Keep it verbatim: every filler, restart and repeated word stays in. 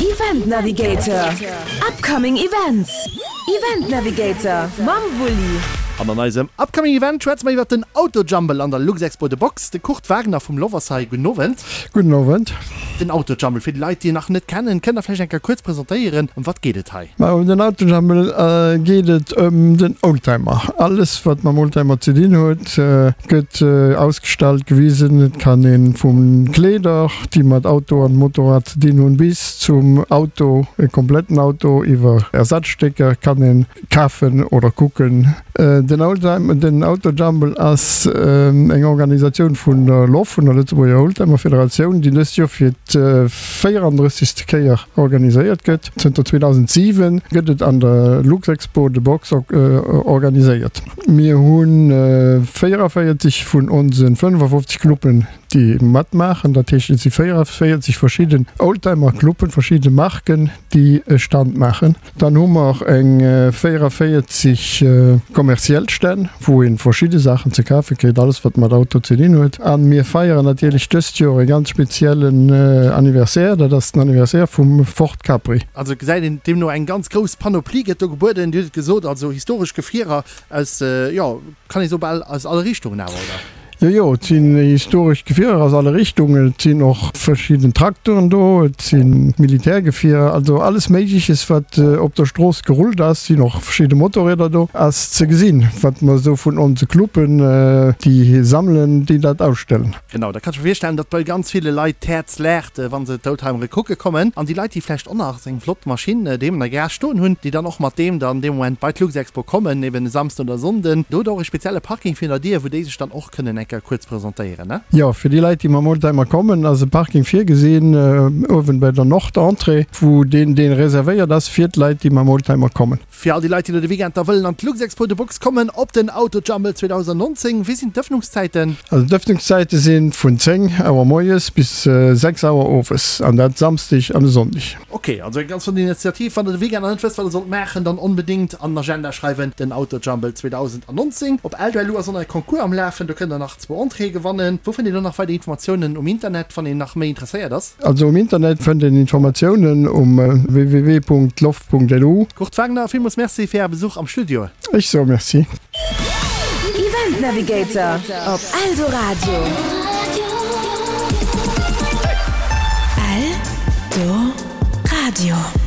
Event Navigator, Upcoming Events, Event Navigator mam Wulli. An an eisem Upcoming Event schwätze mer iwwert den Autojumble an der Luxexpo The Box. De Kurt Wagner vum Love ass hei. Gudden Owend. Gudden Owend. Den Autojumble, fir déi Leit, déi en nach net kennen, kënnt der vläicht eng Kéier kuerz presentéieren, ëm wat geet et hei? Ma ëm den Autojumble geet et ëm den Oldtimer. Alles, wat mam Oldtimer ze dinn huet, gëtt ausgestallt, gewisen. Et kann ee vu Kleeder, déi mat Auto an Motorrad ze dinn hunn, bis zum Auto, e kompletten Auto iwwer Ersatzstécker kann een kafen oder kucken. Den Oldtimer, den Autojumble ass eng Organisatioun vun der LOF, vun der Lëtzebuerger Oldtimer Federatioun, déi dëst Joer fir d'véierandrëssegste Kéier organiséiert gëtt. Zënter zweedausendsiwen gëtt et an der Luxexpo The Box organiséiert. Mir hu véierevéierzeg vun onse fënnefafofzeg Cluben, déi matmaachen. Dat heescht, et si véierevéierzeg verschidden Oldtimer-Cluben, verschidde Marken, déi e Stand maachen. Dann hu mer eng véierevéierzeg kommerziell Stänn, wou ee verschidde Saachen ze kafe kritt, alles wat mat Auto ze dinn huet. A mir feieren natierlech dëst Joer e ganz speziellen Anniversaire, dat ass den Anniversaire vum Ford Capri. Also et gesäit een deemno eng ganz grouss Panoplie gëtt do gebueden. Dir hutt et gesot, also historesch Gefierer aus, jo, kann ee soe bal aus alle Richtungen awer, oder? Jo, jo, et sinn historesch Gefierer aus alle Richtungen. Et sinn och verschidden Traktoren do, et si Militärgefierer, also alles Méigleches, wat op der Strooss gerullt ass. Et sinn och verschidde Motorrieder do, ass ze gesinn, wat mer esou vun onse Cluben, déi sammelen, déi dat ausstellen. Genau, da kann ech mer virstellen, datt bei ganz ville Leit d'Häerz laacht, wa se d'Oldtimere kucke kommen. An déi Leit, déi vläicht och nach eng flott Maschinn doheem an der Garage stoen hunn, déi dann och mat deem dann dee Moment bei d'Luxexpo kommen, eben e Samsden oder Sonnden, do hutt Der och e spezielle Parking virun der Dier, wou déi sech dann och kënnen eng Kéier kuerz presentéieren, ne? Jo, fir déi Leit, déi mam Oldtimer kommen, ass e Parking virgesinn, uewen bei der Nord-Entrée, wou deen, deen reservéiert ass fir d'Leit, déi mam Oldtimer kommen. Fir all déi Leit, déi elo de Weekend da wëllen an d'Luxexpo de Box kommen, op den Autojumble zweedausendnonzéng, wéi sinn d'Ëffnungszäiten? Also d'Ëffnungszäite si vun zéng Auer moies bis sechs Auer owes, an dat Samsdeg an e Sonndeg. Ok, also eng ganz flott Initiativ. Wann der de Weekend nach net wësst, wat der sollt maachen, dann onbedéngt an den Agenda schreiwen, den Autojumble zweedausendnonzéng. Op Eldo punkt lu ass och nach e Concours am Lafen, do kënnt der nach zwou Entréeë gewannen. Wou fënnt een do nach weider Informatiounen um Internet, wann een nach méi interesséiert ass? Also um Internet fënnt een Informatiounen um www punkt loft punkt lu. Kurt Wagner, villmools Merci fir Äre Besuch am Studio. Ech soe Merci. Event Navigator op Eldoradio. Eldoradio.